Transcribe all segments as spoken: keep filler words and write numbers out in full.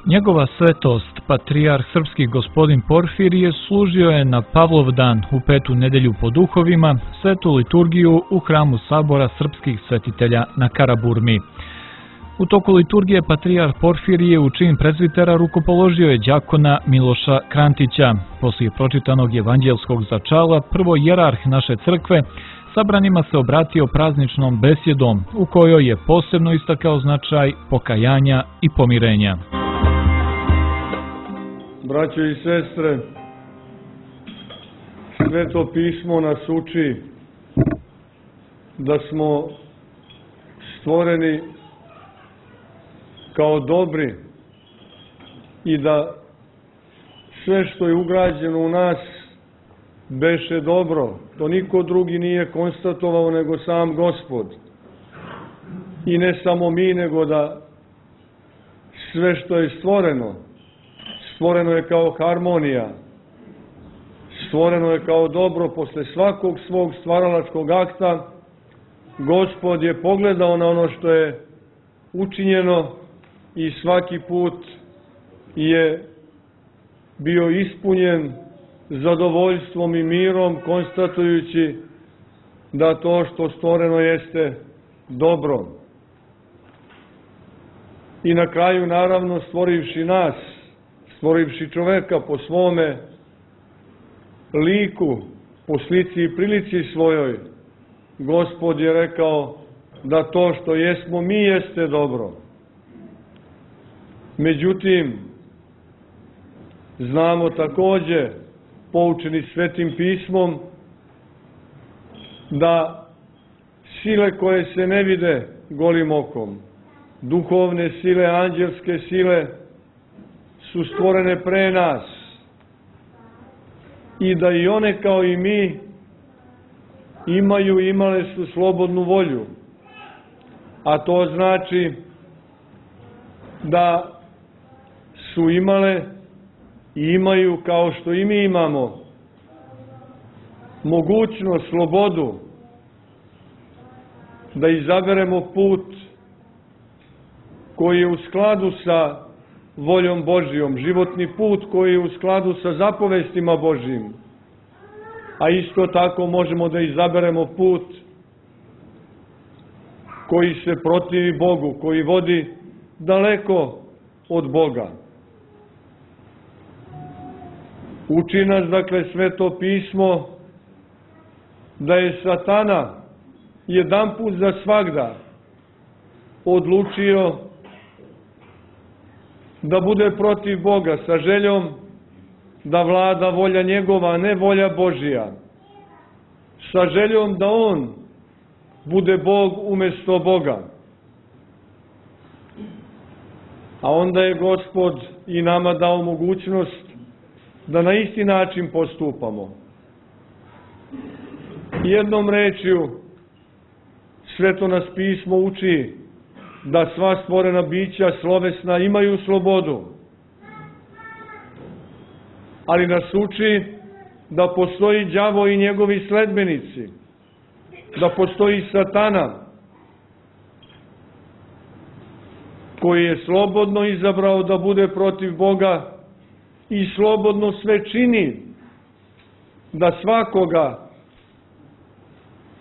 Njegova svetost, patrijarh srpski gospodin Porfirije, služio je na Pavlov dan u petu nedelju po duhovima svetu liturgiju u hramu Sabora srpskih svetitelja na Karaburmi. U toku liturgije patrijarh Porfirije u čin prezbitera rukopoložio je đakona Miloša Krantića. Poslije pročitanog evanđelskog začala, prvo jerarh naše crkve sabranima se obratio prazničnom besjedom u kojoj je posebno istakao značaj pokajanja i pomirenja. Braćo i sestre, Sveto pismo nas uči da smo stvoreni kao dobri i da sve što je ugrađeno u nas beše dobro. To niko drugi nije konstatovao nego sam Gospod. I ne samo mi, nego da sve što je stvoreno, stvoreno je kao harmonija, stvoreno je kao dobro. Posle svakog svog stvaralačkog akta Gospod je pogledao na ono što je učinjeno i svaki put je bio ispunjen zadovoljstvom i mirom, konstatujući da to što stvoreno jeste dobro. I na kraju, naravno, stvorivši nas, stvorivši čoveka po svome liku, po slici i prilici svojoj, Gospod je rekao da to što jesmo mi jeste dobro. Međutim, znamo takođe, poučeni Svetim pismom, da sile koje se ne vide golim okom, duhovne sile, anđelske sile, su stvorene pre nas i da i one kao i mi imaju, imale su slobodnu volju, a to znači da su imale i imaju, kao što i mi imamo, mogućnost, slobodu da izaberemo put koji je u skladu sa voljom Božijom, životni put koji je u skladu sa zapovestima Božijim, a isto tako možemo da izaberemo put koji se protivi Bogu, koji vodi daleko od Boga. Uči nas, dakle, Sveto pismo da je Satana jedanput za svagda odlučio da bude protiv Boga sa željom da vlada volja njegova, a ne volja Božija. Sa željom da on bude Bog umesto Boga. A onda je Gospod i nama dao mogućnost da na isti način postupamo. Jednom rečju, Sveto nas pismo uči da sva stvorena bića slovesna imaju slobodu, ali nas uči da postoji đavo i njegovi sledbenici, da postoji Satana, koji je slobodno izabrao da bude protiv Boga i slobodno sve čini da svakoga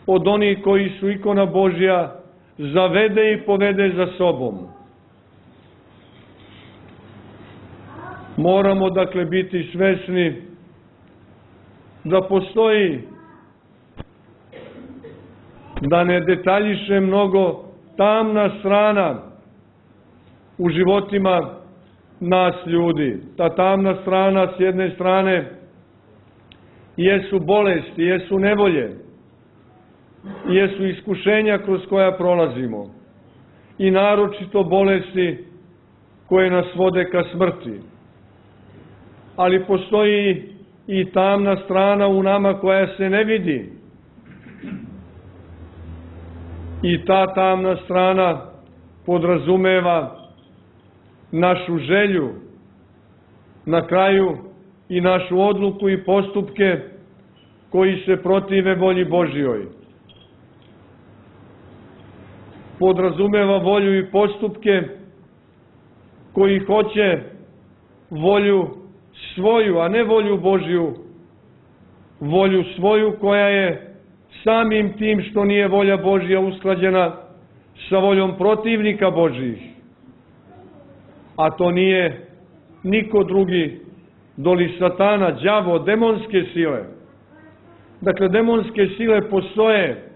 od onih koji su ikona Božja zavede i povede za sobom. Moramo, dakle, biti svesni da postoji, da ne detaljiše mnogo, tamna strana u životima nas ljudi. Ta tamna strana, s jedne strane, jesu bolesti, jesu nevolje, jesu iskušenja kroz koja prolazimo i naročito bolesti koje nas vode ka smrti. Ali postoji i tamna strana u nama koja se ne vidi. I ta tamna strana podrazumeva našu želju, na kraju i našu odluku i postupke koji se protive volji Božjoj. podrazumeva volju i postupke koji hoće volju svoju, a ne volju Božju, volju svoju koja je samim tim što nije volja Božja usklađena sa voljom protivnika Božjih. A to nije niko drugi doli Satana, đavo, demonske sile. Dakle, demonske sile postoje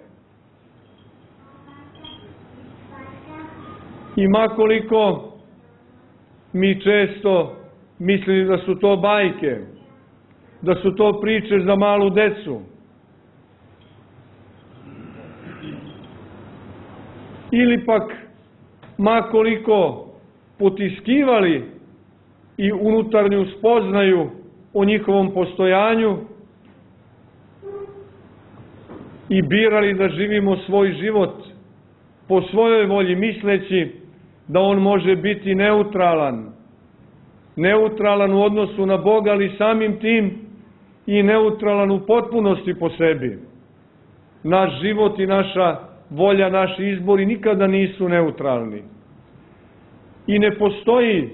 i makoliko mi često mislili da su to bajke, da su to priče za malu decu, ili pak makoliko potiskivali i unutarnju spoznaju o njihovom postojanju i birali da živimo svoj život po svojoj volji, misleći da on može biti neutralan. Neutralan u odnosu na Boga, ali samim tim i neutralan u potpunosti po sebi. Naš život i naša volja, naši izbori nikada nisu neutralni. I ne postoji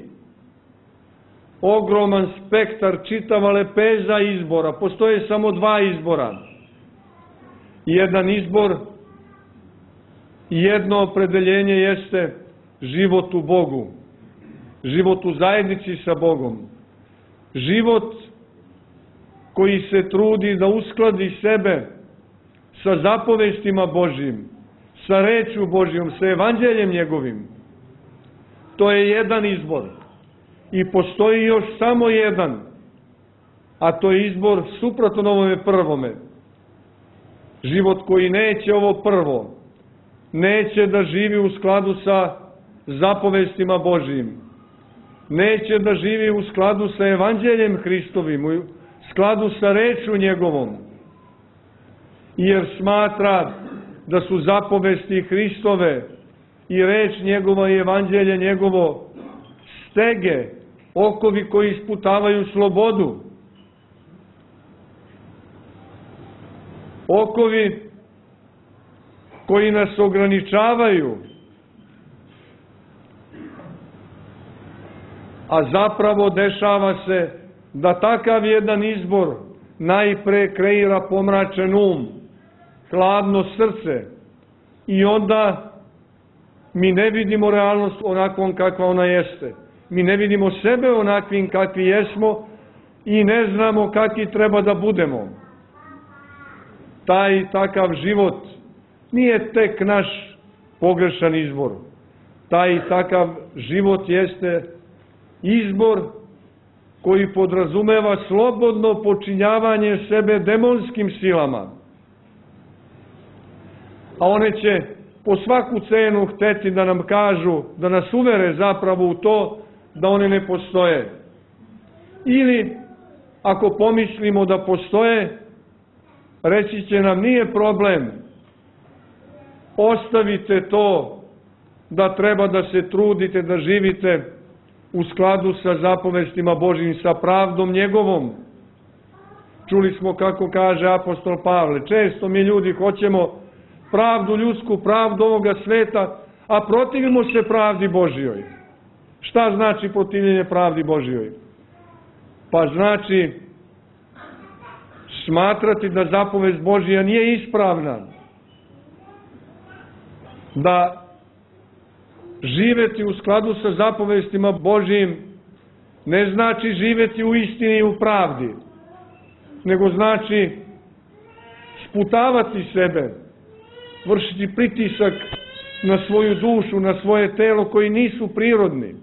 ogroman spektar, čitava lepeza izbora. Postoje samo dva izbora. Jedan izbor i jedno opredeljenje jeste život u Bogu. Život u zajednici sa Bogom. Život koji se trudi da uskladi sebe sa zapovestima Božjim, sa rečju Božjom, sa evanđeljem njegovim. To je jedan izbor. I postoji još samo jedan, a to je izbor suprotan ovome prvome. Život koji neće ovo prvo, neće da živi u skladu sa zapovestima Božjim, neće da živi u skladu sa evanđeljem Hristovim, u skladu sa rečju njegovom, jer smatra da su zapovesti Hristove i reč njegova i evanđelje njegovo stege, okovi koji isputavaju slobodu, okovi koji nas ograničavaju, a zapravo dešava se da takav jedan izbor najpre kreira pomračen um, hladno srce, i onda mi ne vidimo realnost onakvom kakva ona jeste. Mi ne vidimo sebe onakvim kakvi jesmo i ne znamo kakvi treba da budemo. Taj takav život nije tek naš pogrešan izbor. Taj takav život jeste izbor koji podrazumeva slobodno počinjavanje sebe demonskim silama. A one će po svaku cenu hteti da nam kažu, da nas uvere zapravo u to da one ne postoje. Ili, ako pomislimo da postoje, reći će nam nije problem, ostavite to da treba da se trudite, da živite u skladu sa zapovestima Božjim, sa pravdom njegovom. Čuli smo kako kaže apostol Pavle, često mi ljudi hoćemo pravdu ljudsku, pravdu ovoga sveta, a protivimo se pravdi Božjoj. Šta znači protivljenje pravdi Božjoj? Pa znači smatrati da zapovest Božja nije ispravna, da živeti u skladu sa zapovestima Božjim ne znači živeti u istini i u pravdi, nego znači sputavati sebe, vršiti pritisak na svoju dušu, na svoje telo koji nisu prirodni.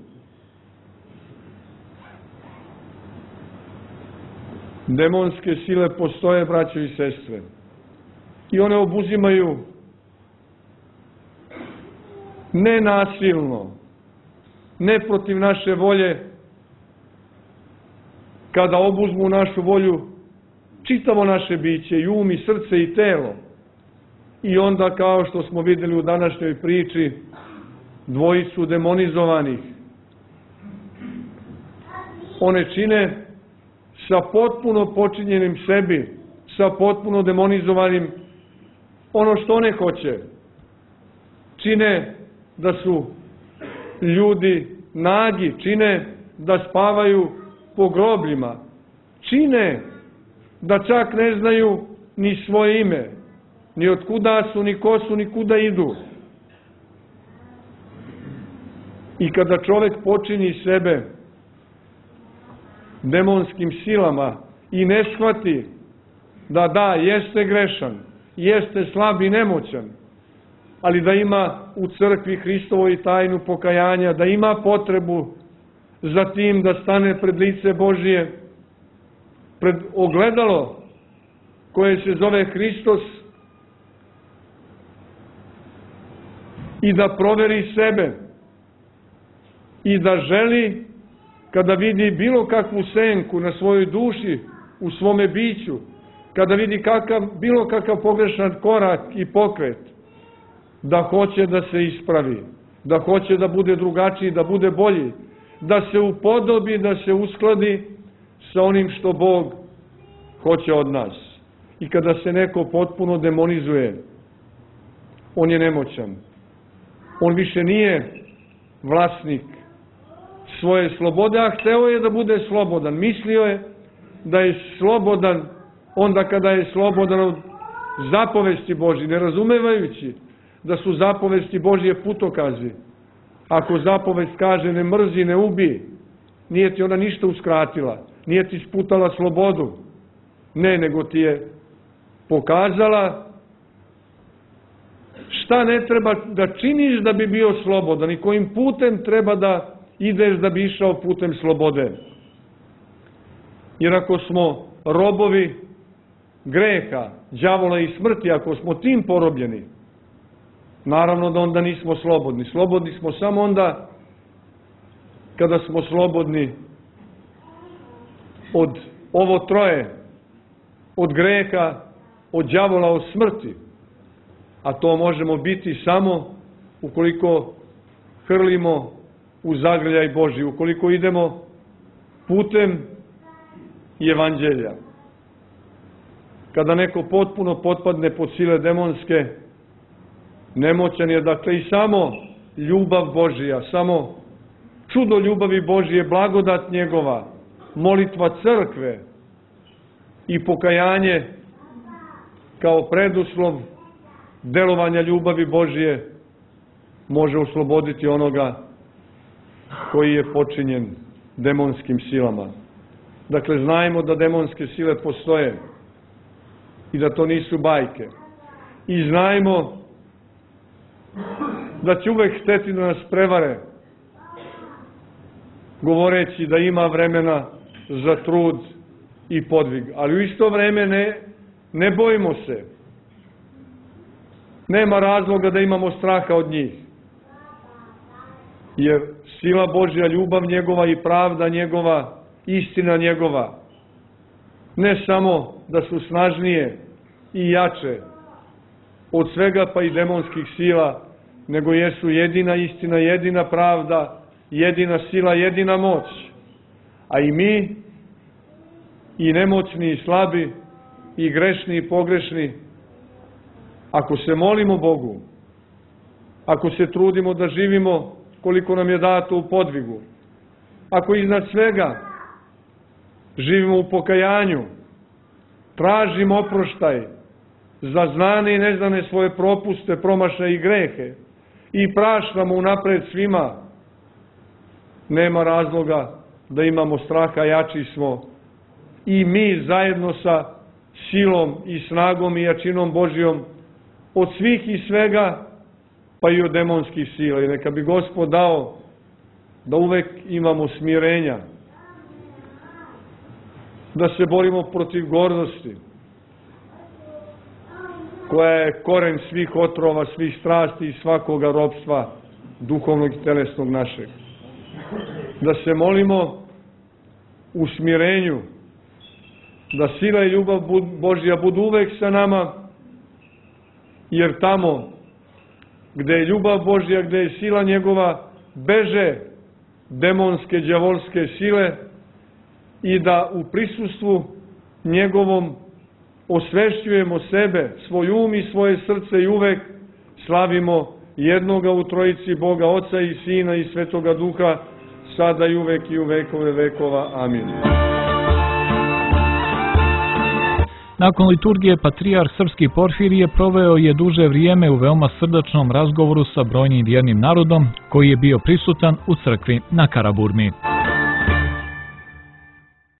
Demonske sile postoje, braćo i sestre, i one obuzimaju ne nasilno, ne protiv naše volje, kada obuzmu našu volju čitavo naše biće, i um, i srce, i telo. I onda, kao što smo vidjeli u današnjoj priči, dvojicu demonizovanih, one čine sa potpuno počinjenim sebi, sa potpuno demonizovanim ono što one hoće. Čine da su ljudi nagi, čine da spavaju po grobljima čine da čak ne znaju ni svoje ime, ni od kuda su, ni ko su, ni kuda idu. I kada čovjek počini sebe demonskim silama i ne shvati da da, jeste grešan, jeste slab i nemoćan, ali da ima u crkvi Hristovoj tajnu pokajanja, da ima potrebu za tim da stane pred lice Božije, pred ogledalo koje se zove Hristos i da proveri sebe i da želi, kada vidi bilo kakvu senku na svojoj duši, u svome biću, kada vidi kakav, bilo kakav pogrešan korak i pokret, da hoće da se ispravi, da hoće da bude drugačiji, da bude bolji, da se upodobi, da se uskladi sa onim što Bog hoće od nas. I kada se neko potpuno demonizuje, on je nemoćan. On više nije vlasnik svoje slobode, a hteo je da bude slobodan. Mislio je da je slobodan onda kada je slobodan od zapovesti Božje, ne razumevajući da su zapovesti Božje putokazi. Ako zapovest kaže ne mrzi, ne ubij, nije ti ona ništa uskratila, nije ti sputala slobodu. Ne, nego ti je pokazala šta ne treba da činiš da bi bio slobodan i kojim putem treba da ideš da bi išao putem slobode. Jer ako smo robovi greha, đavola i smrti, ako smo tim porobljeni, naravno da onda nismo slobodni. Slobodni smo samo onda kada smo slobodni od ovo troje, od greha, od đavola, od smrti. A to možemo biti samo ukoliko hrlimo u zagrljaj Božji, ukoliko idemo putem evanđelja. Kada neko potpuno potpadne pod sile demonske, nemoćan je, dakle, i samo ljubav Božija, samo čudo ljubavi Božije, blagodat njegova, molitva crkve i pokajanje kao preduslov delovanja ljubavi Božije može osloboditi onoga koji je počinjen demonskim silama. Dakle, znajmo da demonske sile postoje i da to nisu bajke. I znajmo da će uvek hteti da nas prevare, govoreći da ima vremena za trud i podvig. Ali u isto vreme ne, ne bojimo se. Nema razloga da imamo straha od njih. Jer sila Božja, ljubav njegova i pravda njegova, istina njegova, ne samo da su snažnije i jače od svega pa i demonskih sila, nego jesu jedina istina, jedina pravda, jedina sila, jedina moć. A i mi, i nemoćni, i slabi, i grešni, i pogrešni, ako se molimo Bogu, ako se trudimo da živimo koliko nam je dato u podvigu, ako iznad svega živimo u pokajanju, tražimo oproštaj za znane i neznane svoje propuste, promašaje i grehe i praštamo unapred svima, nema razloga da imamo straha, jači smo i mi zajedno sa silom i snagom i jačinom Božjom od svih i svega, pa i od demonskih sila. I neka bi Gospod dao da uvek imamo smirenja, da se borimo protiv gordosti, koja je koren svih otrova, svih strasti i svakoga ropstva duhovnog i telesnog našeg. Da se molimo u smirenju, da sila i ljubav Božja budu uvek sa nama, jer tamo gde je ljubav Božja, gde je sila njegova, beže demonske, đavolske sile i da u prisustvu njegovom osvešćujemo sebe, svoj um i svoje srce i uvek slavimo jednoga u trojici Boga, Oca i Sina i Svetoga Duha, sada i uvek i u vekove vekova. Amin. Nakon liturgije, patrijarh srpski Porfirije proveo je duže vrijeme u veoma srdačnom razgovoru sa brojnim vjernim narodom koji je bio prisutan u crkvi na Karaburmi.